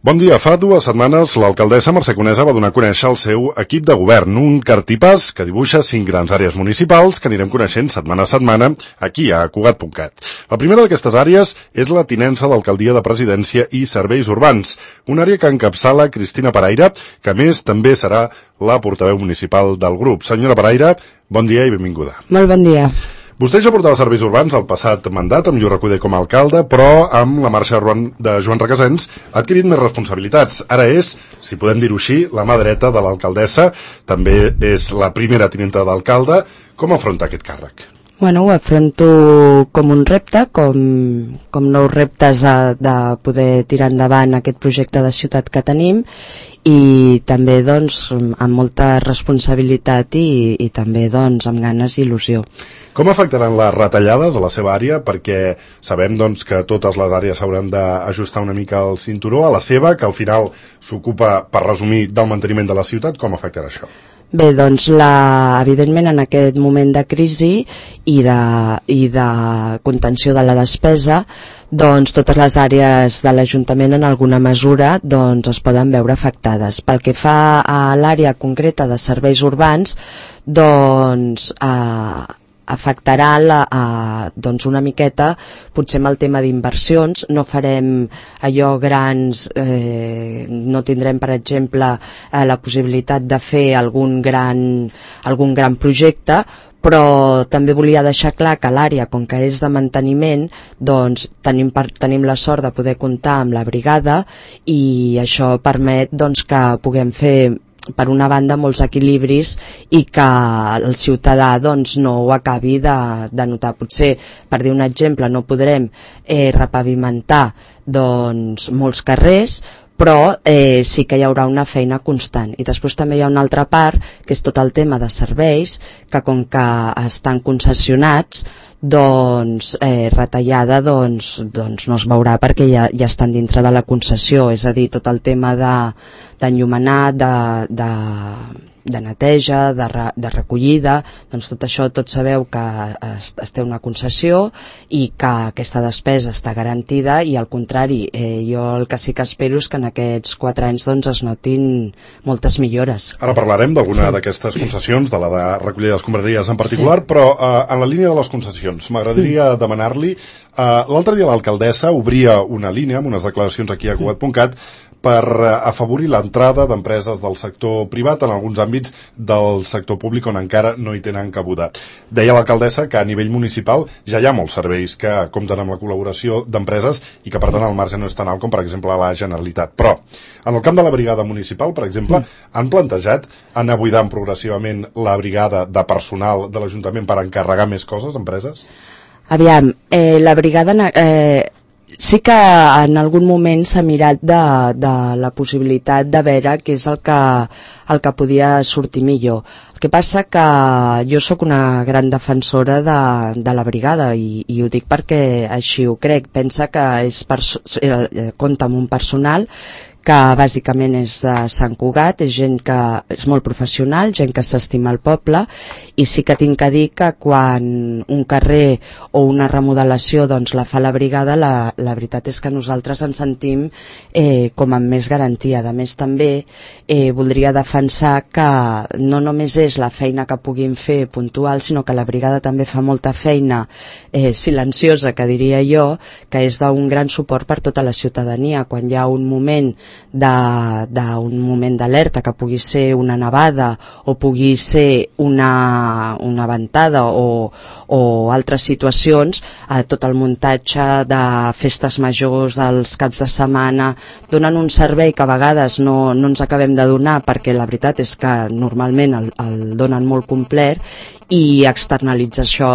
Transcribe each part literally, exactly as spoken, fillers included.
Bon dia. Fa dues setmanes l'alcaldessa Mercè Conesa va donar a conèixer el seu equip de govern, un cartipàs que dibuixa cinc grans àrees municipals que anirem coneixent setmana a setmana aquí a Cugat punt cat. La primera d'aquestes àrees és la tinença d'alcaldia de presidència i serveis urbans, una àrea que encapçala Cristina Paraire, que a més també serà la portaveu municipal del grup. Senyora Paraire, bon dia i benvinguda. Molt bon dia. Vostè ja portava serveis urbans al passat mandat amb Lluís Recoder com a alcalde, però amb la marxa de Joan Requesens ha adquirit més responsabilitats. Ara és, si podem dir-ho així, la mà dreta de l'alcaldessa, també és la primera tinenta d'alcalde. Com afronta aquest càrrec? Bueno, ho afronto com un repte, com, com nous reptes de, de poder tirar endavant aquest projecte de ciutat que tenim i també doncs amb molta responsabilitat i, i també doncs amb ganes i il·lusió. Com afectaran les retallades a la seva àrea? Perquè sabem doncs que totes les àrees s'hauran d'ajustar una mica el cinturó, a la seva, que al final s'ocupa, per resumir, del manteniment de la ciutat. Com afectarà això? Bé, doncs, la, evidentment, en aquest moment de crisi i de, i de contenció de la despesa, doncs totes les àrees de l'Ajuntament en alguna mesura doncs, es poden veure afectades. Pel que fa a l'àrea concreta de serveis urbans, doncs eh, afectarà la, a, doncs una miqueta, potser amb el tema d'inversions. No farem allò grans, eh, no tindrem, per exemple, eh, la possibilitat de fer algun gran, algun gran projecte, però també volia deixar clar que l'àrea, com que és de manteniment, doncs tenim, per, tenim la sort de poder comptar amb la brigada i això permet doncs, que puguem fer per una banda molts equilibris i que el ciutadà doncs, no ho acabi de, de notar. Potser, per dir un exemple, no podrem eh, repavimentar doncs, molts carrers, però eh, sí que hi haurà una feina constant. I després també hi ha una altra part, que és tot el tema de serveis, que com que estan concessionats, doncs eh, retallada doncs, doncs no es veurà perquè ja, ja estan dintre de la concessió, és a dir, tot el tema d'enllumenat, de, de, de neteja, de, re, de recollida, doncs tot això, tots sabeu que es, es té una concessió i que aquesta despesa està garantida i al contrari, eh, jo el que sí que espero és que en aquests quatre anys doncs, es notin moltes millores. Ara parlarem d'alguna sí. d'aquestes concessions, de la de recollida d'escombraries en particular, sí. però eh, en la línia de les concessions m'agradaria mm. demanar-li, eh, l'altre dia l'alcaldessa obria una línia amb unes declaracions aquí a Cugat punt cat per afavorir l'entrada d'empreses del sector privat en alguns àmbits del sector públic on encara no hi tenen cabuda. Deia l'alcaldessa que a nivell municipal ja hi ha molts serveis que compten amb la col·laboració d'empreses i que per tant el marge no és tan alt com per exemple la Generalitat. Però en el camp de la brigada municipal, per exemple, han plantejat anar buidant progressivament la brigada de personal de l'Ajuntament per encarregar més coses a empreses? Aviam, eh, la brigada... Eh, sí que en algun moment s'ha mirat de, de la possibilitat de veure què és el que, el que podia sortir millor. El que passa que jo sóc una gran defensora de, de la brigada i, i ho dic perquè així ho crec. Pensa que és perso- eh, compta amb un personal que bàsicament és de Sant Cugat, és gent que és molt professional, gent que s'estima el poble, i sí que tinc que dir que quan un carrer o una remodelació doncs, la fa la brigada, la, la veritat és que nosaltres ens sentim eh, com amb més garantia. A més també eh, voldria defensar que no només és la feina que puguin fer puntual, sinó que la brigada també fa molta feina eh, silenciosa, que diria jo, que és d'un gran suport per tota la ciutadania. Quan hi ha un moment d'un moment d'alerta, que pugui ser una nevada o pugui ser una, una ventada o, o altres situacions, eh, tot el muntatge de festes majors, dels caps de setmana, donen un servei que a vegades no, no ens acabem de donar perquè la veritat és que normalment el, el donen molt complet, i externalitzar això,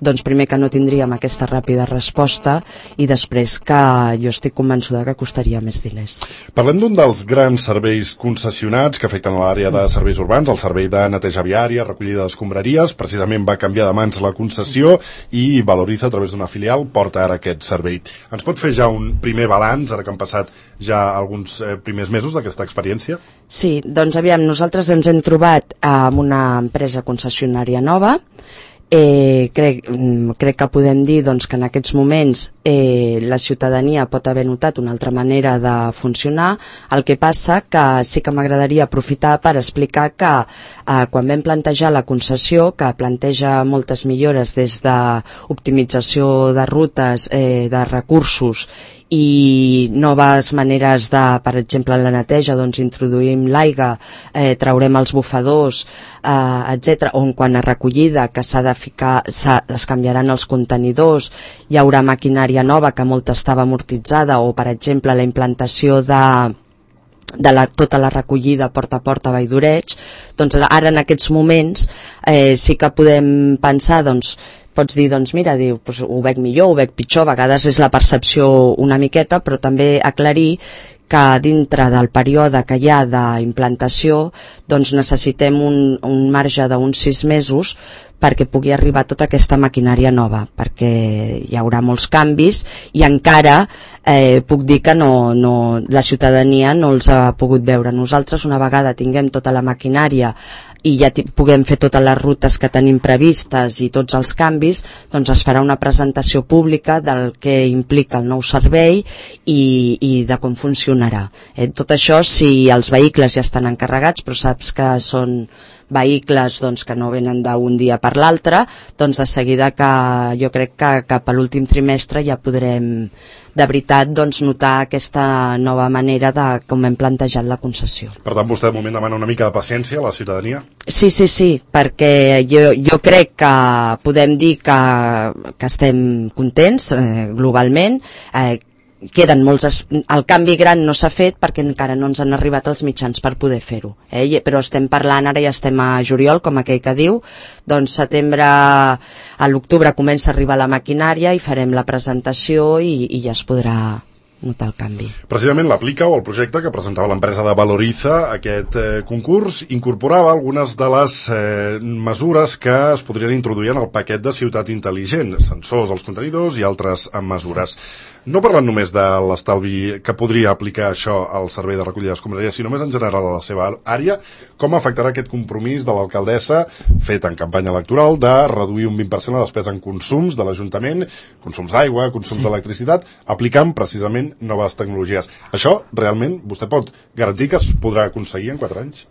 doncs primer que no tindríem aquesta ràpida resposta i després que jo estic convençuda que costaria més diners. Parlem d'un dels grans serveis concessionats que afecten l'àrea de serveis urbans, el servei de neteja viària, recollida d'escombraries. Precisament va canviar de mans la concessió i Valoriza, a través d'una filial, porta ara aquest servei. Ens pot fer ja un primer balanç, ara que han passat ja alguns eh, primers mesos d'aquesta experiència? Sí, doncs aviam, nosaltres ens hem trobat amb una empresa concessionària nova, Eh, crec, crec que podem dir doncs, que en aquests moments eh, la ciutadania pot haver notat una altra manera de funcionar. El que passa que sí que m'agradaria aprofitar per explicar que eh, quan vam plantejar la concessió, que planteja moltes millores des d'optimització de rutes, eh, de recursos i noves maneres de, per exemple, la neteja, doncs introduïm l'aigua, eh, traurem els bufadors, eh, etcètera. O en quant a recollida, que s'ha de ficar, es canviaran els contenidors, hi haurà maquinària nova que molta estava amortitzada, o per exemple la implantació de de la, tota la recollida porta a porta a Valldoreig. Doncs ara en aquests moments eh, sí que podem pensar, doncs pots dir, doncs mira, diu, doncs, ho veig millor, ho veig pitjor, a vegades és la percepció una miqueta, però també aclarir que dintre del període que hi ha d'implantació doncs necessitem un, un marge d'uns sis mesos perquè pugui arribar tota aquesta maquinària nova, perquè hi haurà molts canvis i encara eh, puc dir que no, no, la ciutadania no els ha pogut veure. Nosaltres, una vegada tinguem tota la maquinària i ja puguem fer totes les rutes que tenim previstes i tots els canvis, doncs es farà una presentació pública del que implica el nou servei i, i de com funcionarà. Eh, tot això si els vehicles ja estan encarregats, però saps que són vehicles doncs, que no venen d'un dia per l'altre, doncs de seguida que jo crec que cap a l'últim trimestre ja podrem de veritat doncs, notar aquesta nova manera de com hem plantejat la concessió. Per tant, vostè de moment demana una mica de paciència a la ciutadania? Sí, sí, sí, perquè jo, jo crec que podem dir que, que estem contents eh, globalment, eh, queden molts, el canvi gran no s'ha fet perquè encara no ens han arribat els mitjans per poder fer-ho, eh? Però estem parlant, ara ja estem a juliol, com aquell que diu, doncs setembre, a l'octubre comença a arribar la maquinària i farem la presentació i, i ja es podrà notar el canvi. Precisament l'Aplica, o el projecte que presentava l'empresa de Valoriza, aquest eh, concurs, incorporava algunes de les eh, mesures que es podrien introduir en el paquet de ciutat intel·ligent, sensors als contenidors i altres mesures. No parlant només de l'estalvi que podria aplicar això al servei de recollida d'escombraries, sinó més en general a la seva àrea, com afectarà aquest compromís de l'alcaldessa, fet en campanya electoral, de reduir un vint per cent la despesa en consums de l'Ajuntament, consums d'aigua, consums sí. d'electricitat, aplicant precisament noves tecnologies. Això, realment, vostè pot garantir que es podrà aconseguir en quatre anys?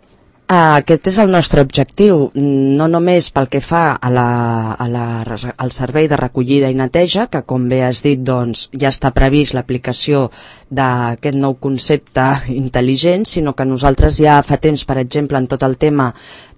Aquest és el nostre objectiu, no només pel que fa a la, a la, al servei de recollida i neteja, que com bé has dit doncs, ja està previst l'aplicació d'aquest nou concepte intel·ligent, sinó que nosaltres ja fa temps, per exemple, en tot el tema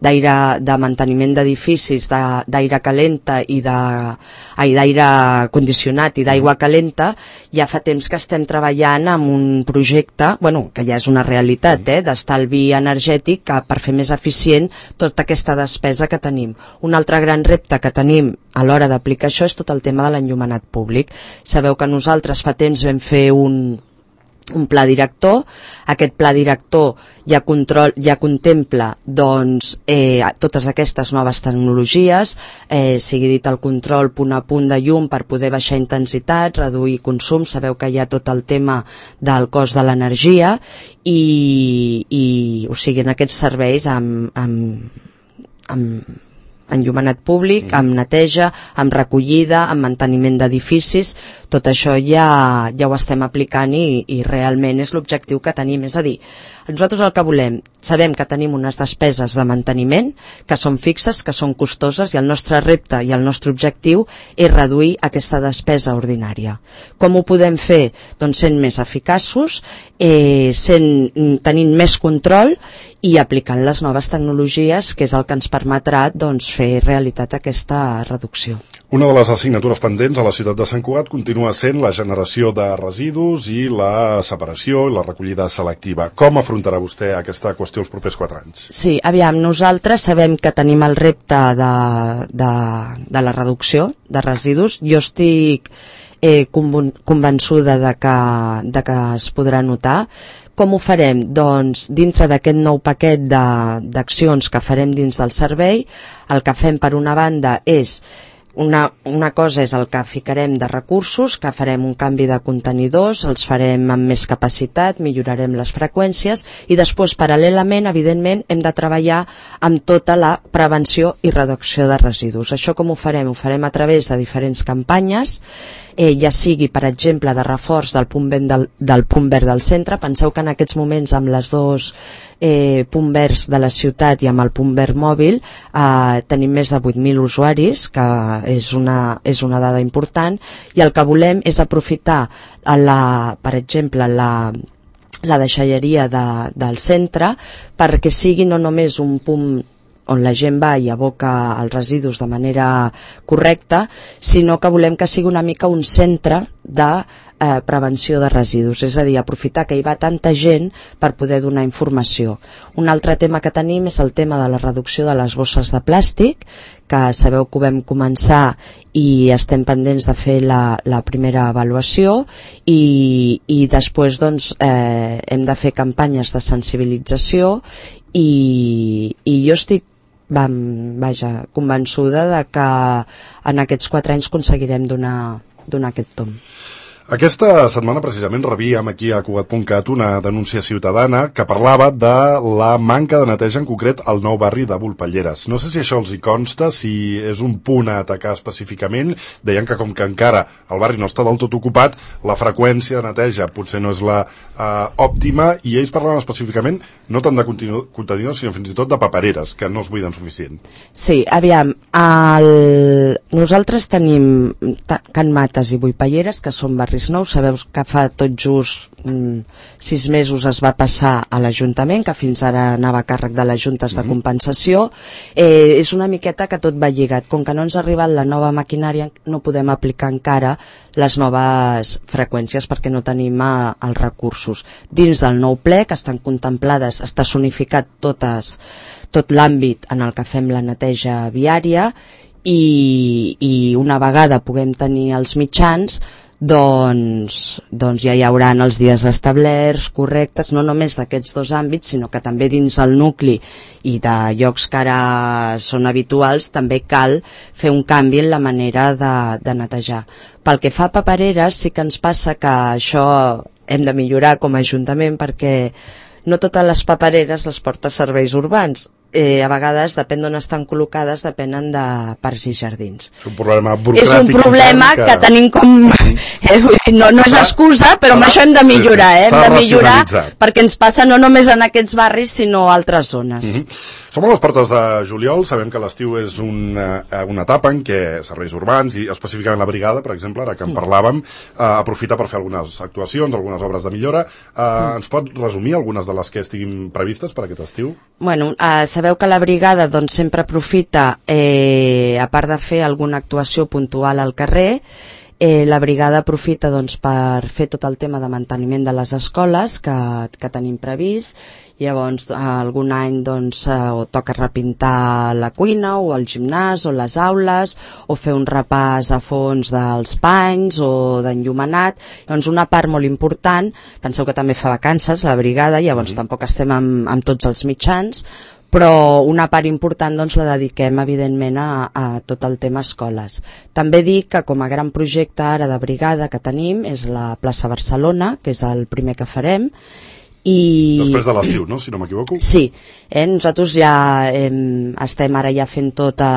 d'aire, de manteniment d'edificis, d'aire calenta i d'aire condicionat i d'aigua calenta, ja fa temps que estem treballant amb un projecte, bueno, que ja és una realitat, eh, d'estalvi energètic que per fer més eficient tota aquesta despesa que tenim. Un altre gran repte que tenim a l'hora d'aplicar això és tot el tema de l'enllumenat públic. Sabeu que nosaltres fa temps vam fer un un pla director, aquest pla director ja, control, ja contempla doncs, eh, totes aquestes noves tecnologies, eh, sigui dit el control punt a punt de llum per poder baixar intensitat, reduir consum, sabeu que hi ha tot el tema del cost de l'energia i, i o sigui, en aquests serveis amb, amb, amb enllumenat públic, amb neteja, amb recollida, amb manteniment d'edificis, tot això ja, ja ho estem aplicant i, i realment és l'objectiu que tenim. És a dir, nosaltres el que volem, sabem que tenim unes despeses de manteniment que són fixes, que són costoses i el nostre repte i el nostre objectiu és reduir aquesta despesa ordinària. Com ho podem fer? Doncs sent més eficaços, eh, sent, tenint més control i aplicant les noves tecnologies, que és el que ens permetrà doncs, fer realitat aquesta reducció. Una de les assignatures pendents a la ciutat de Sant Cugat continua sent la generació de residus i la separació i la recollida selectiva. Com afrontarà vostè aquesta qüestió els propers quatre anys? Sí, aviam, nosaltres sabem que tenim el repte de, de, de la reducció de residus. Jo estic eh, convençuda de que, de que es podrà notar. Com ho farem? Doncs dintre d'aquest nou paquet d'accions que farem dins del servei, el que fem per una banda és Una, una cosa és el que ficarem de recursos, que farem un canvi de contenidors, els farem amb més capacitat, millorarem les freqüències i després, paral·lelament, evidentment, hem de treballar amb tota la prevenció i reducció de residus. Això com ho farem? Ho farem a través de diferents campanyes, eh, ja sigui, per exemple, de reforç del punt verd del, del punt verd del centre. Penseu que en aquests moments, amb les dos eh, punt verds de la ciutat i amb el punt verd mòbil, eh, tenim més de vuit mil usuaris, que és una, és una dada important, i el que volem és aprofitar, la, per exemple, la, la deixalleria de, del centre perquè sigui no només un punt on la gent va i aboca els residus de manera correcta, sinó que volem que sigui una mica un centre de eh, prevenció de residus, és a dir, aprofitar que hi va tanta gent per poder donar informació. Un altre tema que tenim és el tema de la reducció de les bosses de plàstic, que sabeu que ho vam començar i estem pendents de fer la, la primera avaluació i, i després doncs, eh, hem de fer campanyes de sensibilització i, i jo estic Vam, vaja, convençuda de que en aquests quatre anys aconseguirem donar, donar aquest tomb. Aquesta setmana precisament rebíem aquí a Cugat punt cat una denúncia ciutadana que parlava de la manca de neteja, en concret al nou barri de Volpelleres. No sé si això els hi consta, si és un punt a atacar específicament. Deien que com que encara el barri no està del tot ocupat, la freqüència de neteja potser no és la eh, òptima, i ells parlaven específicament no tant de contenidors, sinó fins i tot de papereres, que no es buiden suficient. Sí, aviam, el... nosaltres tenim Can Mates i Volpelleres, que són barris nous. Sabeu que fa tot just mm, sis mesos es va passar a l'Ajuntament, que fins ara anava a càrrec de les juntes de compensació. Eh, és una miqueta que tot va lligat. Com que no ens ha arribat la nova maquinària, no podem aplicar encara les noves freqüències perquè no tenim eh, els recursos. Dins del nou ple, que estan contemplades, està zonificat totes, tot l'àmbit en el que fem la neteja viària, i, i una vegada puguem tenir els mitjans, doncs, doncs ja hi haurà els dies establerts, correctes, no només d'aquests dos àmbits, sinó que també dins el nucli i de llocs que ara són habituals també cal fer un canvi en la manera de, de netejar. Pel que fa a papereres, sí que ens passa que això hem de millorar com a Ajuntament, perquè no totes les papereres les porta Serveis Urbans. Eh, a vegades, depèn d'on estan col·locades, depenen de parcs i jardins. És un problema burocràtic. És un problema que... que tenim com... Eh, no, no és excusa, però amb això hem de millorar, eh? Hem de millorar perquè ens passa no només en aquests barris, sinó a altres zones. Mm-hmm. Som a les portes de juliol, sabem que l'estiu és una, una etapa en què Serveis Urbans, i específicament la brigada, per exemple, ara que en parlàvem, eh, aprofita per fer algunes actuacions, algunes obres de millora. Eh, mm. Ens pot resumir algunes de les que estiguin previstes per aquest estiu? Bueno, eh, sabeu que la brigada doncs, sempre aprofita, eh, a part de fer alguna actuació puntual al carrer, eh, la brigada aprofita doncs, per fer tot el tema de manteniment de les escoles que, que tenim previst. Llavors, algun any doncs, eh, o toca repintar la cuina o el gimnàs o les aules, o fer un repàs a fons dels panys o d'enllumenat. Llavors, una part molt important, penseu que també fa vacances la brigada, llavors mm-hmm. tampoc estem amb, amb tots els mitjans, però una part important doncs, la dediquem evidentment a, a tot el tema escoles. També dic que com a gran projecte ara de brigada que tenim és la plaça Barcelona, que és el primer que farem. I... Després de l'estiu, no? Si no m'equivoco. Sí, eh? Nosaltres ja eh, estem ara ja fent tota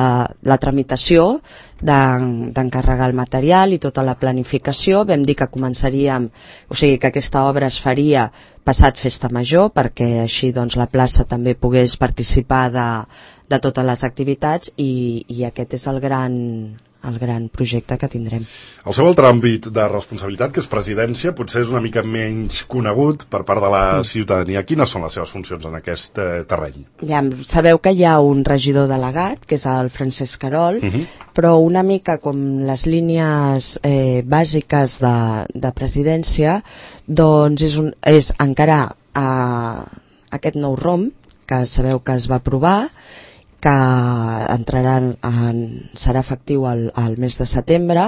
la tramitació d'encarregar el material i tota la planificació. Vam dir que començaríem, o sigui que aquesta obra es faria passat Festa Major, perquè així doncs, la plaça també pogués participar de, de totes les activitats, i, i aquest és el gran... el gran projecte que tindrem. El seu altre àmbit de responsabilitat, que és presidència, potser és una mica menys conegut per part de la ciutadania. Quines són les seves funcions en aquest eh, terreny? Ja, sabeu que hi ha un regidor delegat, que és el Francesc Carol, uh-huh. però una mica com les línies eh, bàsiques de, de presidència, doncs és, un, és encarar eh, aquest nou R O M, que sabeu que es va aprovar, que entrarà en, serà efectiu al, al mes de setembre.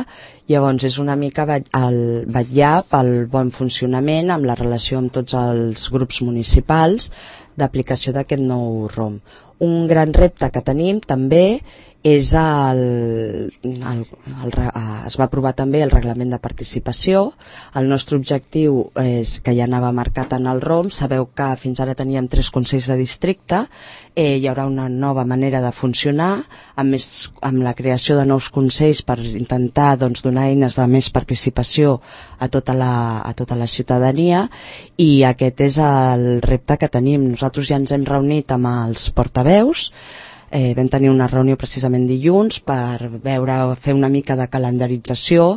Llavors és una mica el vetllar pel bon funcionament amb la relació amb tots els grups municipals d'aplicació d'aquest nou R O M. Un gran repte que tenim també és el, el, el, es va aprovar també el reglament de participació. El nostre objectiu és que ja anava marcat en el R O M. Sabeu que fins ara teníem tres consells de districte, eh, hi haurà una nova manera de funcionar amb, més, amb la creació de nous consells per intentar doncs, donar eines de més participació a tota la, a tota la ciutadania, i aquest és el repte que tenim. Nosaltres ja ens hem reunit amb els portaveus. Eh, vam tenir una reunió precisament dilluns per veure, fer una mica de calendarització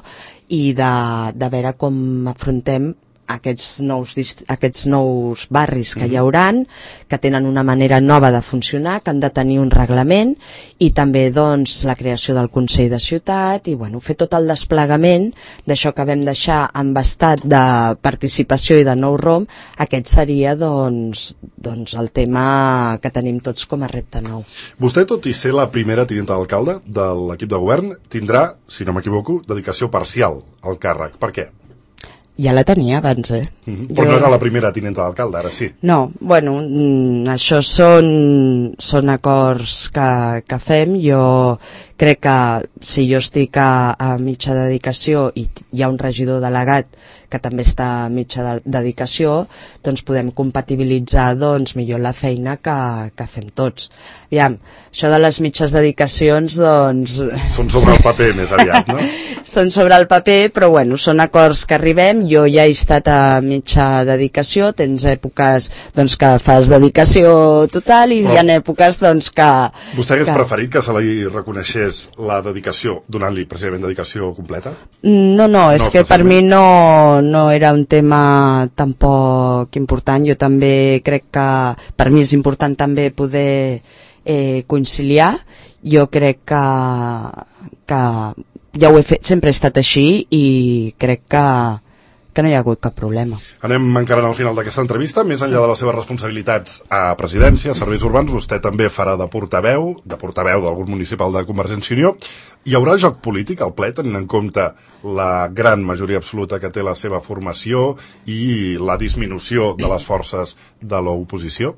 i de, de veure com afrontem aquests nous, aquests nous barris que hi hauran, que tenen una manera nova de funcionar, que han de tenir un reglament, i també doncs, la creació del Consell de Ciutat, i bueno, fer tot el desplegament d'això que vam deixar amb estat de participació i de nou R O M. Aquest seria doncs, doncs el tema que tenim tots com a repte nou. Vostè, tot i ser la primera tinenta d'alcalde de l'equip de govern, tindrà, si no m'equivoco, dedicació parcial al càrrec. Per què? Ja la tenia abans, eh? Mm-hmm. Però jo... no era la primera tinenta d'alcalde, ara sí. No, bueno, mm, això són, són acords que, que fem. Jo crec que si jo estic a, a mitja dedicació i hi ha un regidor delegat que també està a mitja de, dedicació, doncs podem compatibilitzar doncs, millor la feina que, que fem tots. Aviam, això de les mitges dedicacions, doncs... Són sobre el paper, més aviat, no? Són sobre el paper, però bueno, són acords que arribem. Jo ja he estat a mitja dedicació, tens èpoques doncs, que fas dedicació total i però... hi ha èpoques doncs, que... Vostè hagués que... preferit que se li reconeixés la dedicació, donant-li precisament dedicació completa? No, no, és no, que per mi no, no era un tema tampoc important. Jo també crec que per mi és important també poder eh, conciliar. Jo crec que, que ja ho he fet, sempre he estat així i crec que, que no hi ha hagut cap problema. Anem encarant al final d'aquesta entrevista. Més enllà de les seves responsabilitats a presidència, a serveis urbans, vostè també farà de portaveu, de portaveu del grup municipal de Convergència i Unió. Hi haurà joc polític al ple, tenint en compte la gran majoria absoluta que té la seva formació i la disminució de les forces de l'oposició?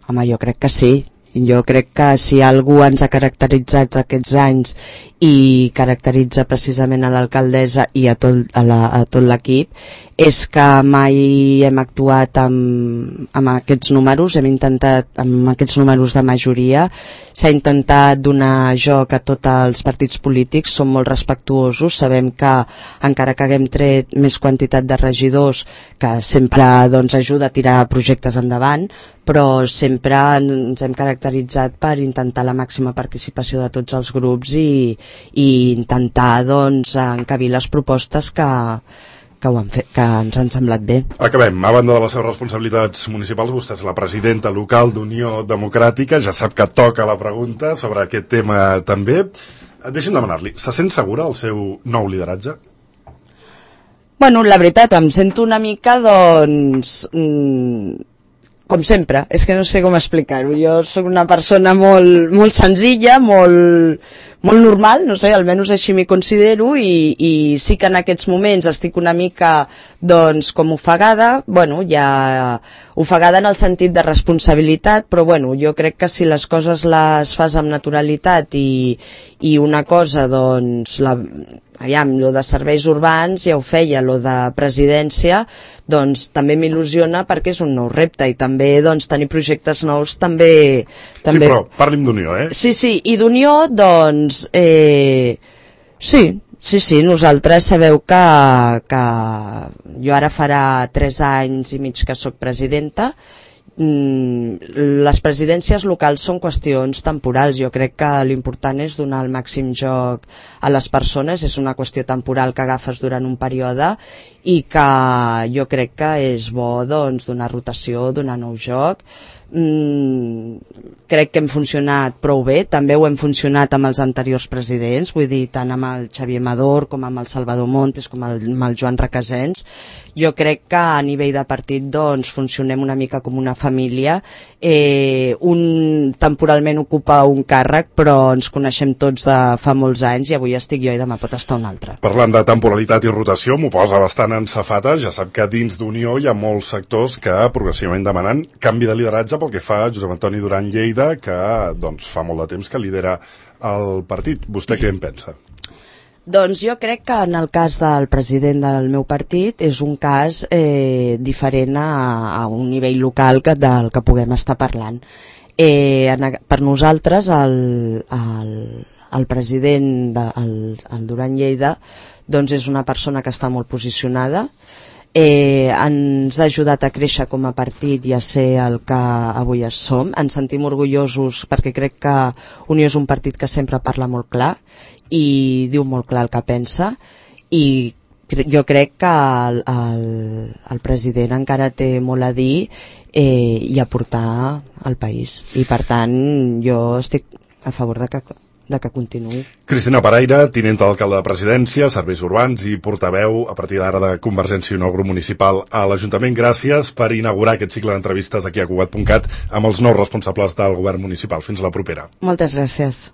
Home, jo crec que sí. Jo crec que si algú ens ha caracteritzat aquests anys i caracteritza precisament a l'alcaldessa i a tot, a la, a tot l'equip, és que mai hem actuat amb, amb aquests números, hem intentat, amb aquests números de majoria, s'ha intentat donar joc a tots els partits polítics, som molt respectuosos, sabem que encara que haguem tret més quantitat de regidors, que sempre doncs, ajuda a tirar projectes endavant, però sempre ens hem caracteritzat per intentar la màxima participació de tots els grups i, i intentar doncs, encabir les propostes que, que, ho han fet, que ens han semblat bé. Acabem. A banda de les seves responsabilitats municipals, vostè és la presidenta local d'Unió Democràtica, ja sap que toca la pregunta sobre aquest tema també. Deixi'm demanar-li, se sent segura el seu nou lideratge? Bueno, la veritat, em sento una mica, doncs... Mmm, com sempre, és que no sé com explicar-ho. Jo sóc una persona molt, molt senzilla, molt, molt normal, no sé, almenys així m'hi considero, i, i sí que en aquests moments estic una mica, doncs, com ofegada, bueno, ja ofegada en el sentit de responsabilitat, però bueno, jo crec que si les coses les fas amb naturalitat i, i una cosa, doncs, la... Aviam, lo de serveis urbans ja ho feia, lo de presidència doncs també m'il·lusiona perquè és un nou repte i també doncs tenir projectes nous també... també... Sí, però parli'm d'Unió, eh? Sí, sí, i d'Unió doncs eh... sí, sí, sí, nosaltres sabeu que, que jo ara farà tres anys i mig que sóc presidenta. Les presidències locals són qüestions temporals. Jo crec que l'important és donar el màxim joc a les persones, és una qüestió temporal que agafes durant un període i que jo crec que és bo doncs, donar rotació, donar nou joc. Mm, crec que hem funcionat prou bé, també ho hem funcionat amb els anteriors presidents, vull dir, tant amb el Xavier Amador com amb el Salvador Montes com el, amb el Joan Requesens. Jo crec que a nivell de partit doncs, funcionem una mica com una família. Eh, un temporalment ocupa un càrrec, però ens coneixem tots de fa molts anys i avui estic jo i demà pot estar un altre. Parlant de temporalitat i rotació, m'ho posa bastant en safata. Ja sap que dins d'Unió hi ha molts sectors que progressivament demanen canvi de lideratge pel que fa a Josep Antoni Duran Lleida, que doncs, fa molt de temps que lidera el partit. Vostè què en pensa? Doncs jo crec que en el cas del president del meu partit és un cas eh, diferent a, a un nivell local que, del que puguem estar parlant. Eh, en, per nosaltres el, el, el president de, el, el Duran Lleida doncs és una persona que està molt posicionada. Eh, ens ha ajudat a créixer com a partit i a ser el que avui som. Ens sentim orgullosos perquè crec que Unió és un partit que sempre parla molt clar i diu molt clar el que pensa, i jo crec que el, el, el president encara té molt a dir eh, i a portar al país, i per tant jo estic a favor de que de que continuï. Cristina Paraire, tinenta d'alcalde de Presidència, Serveis Urbans i portaveu a partir d'ara de Convergència i Unió Grup Municipal a l'Ajuntament. Gràcies per inaugurar aquest cicle d'entrevistes aquí a Cugat punt cat amb els nous responsables del govern municipal. Fins la propera. Moltes gràcies.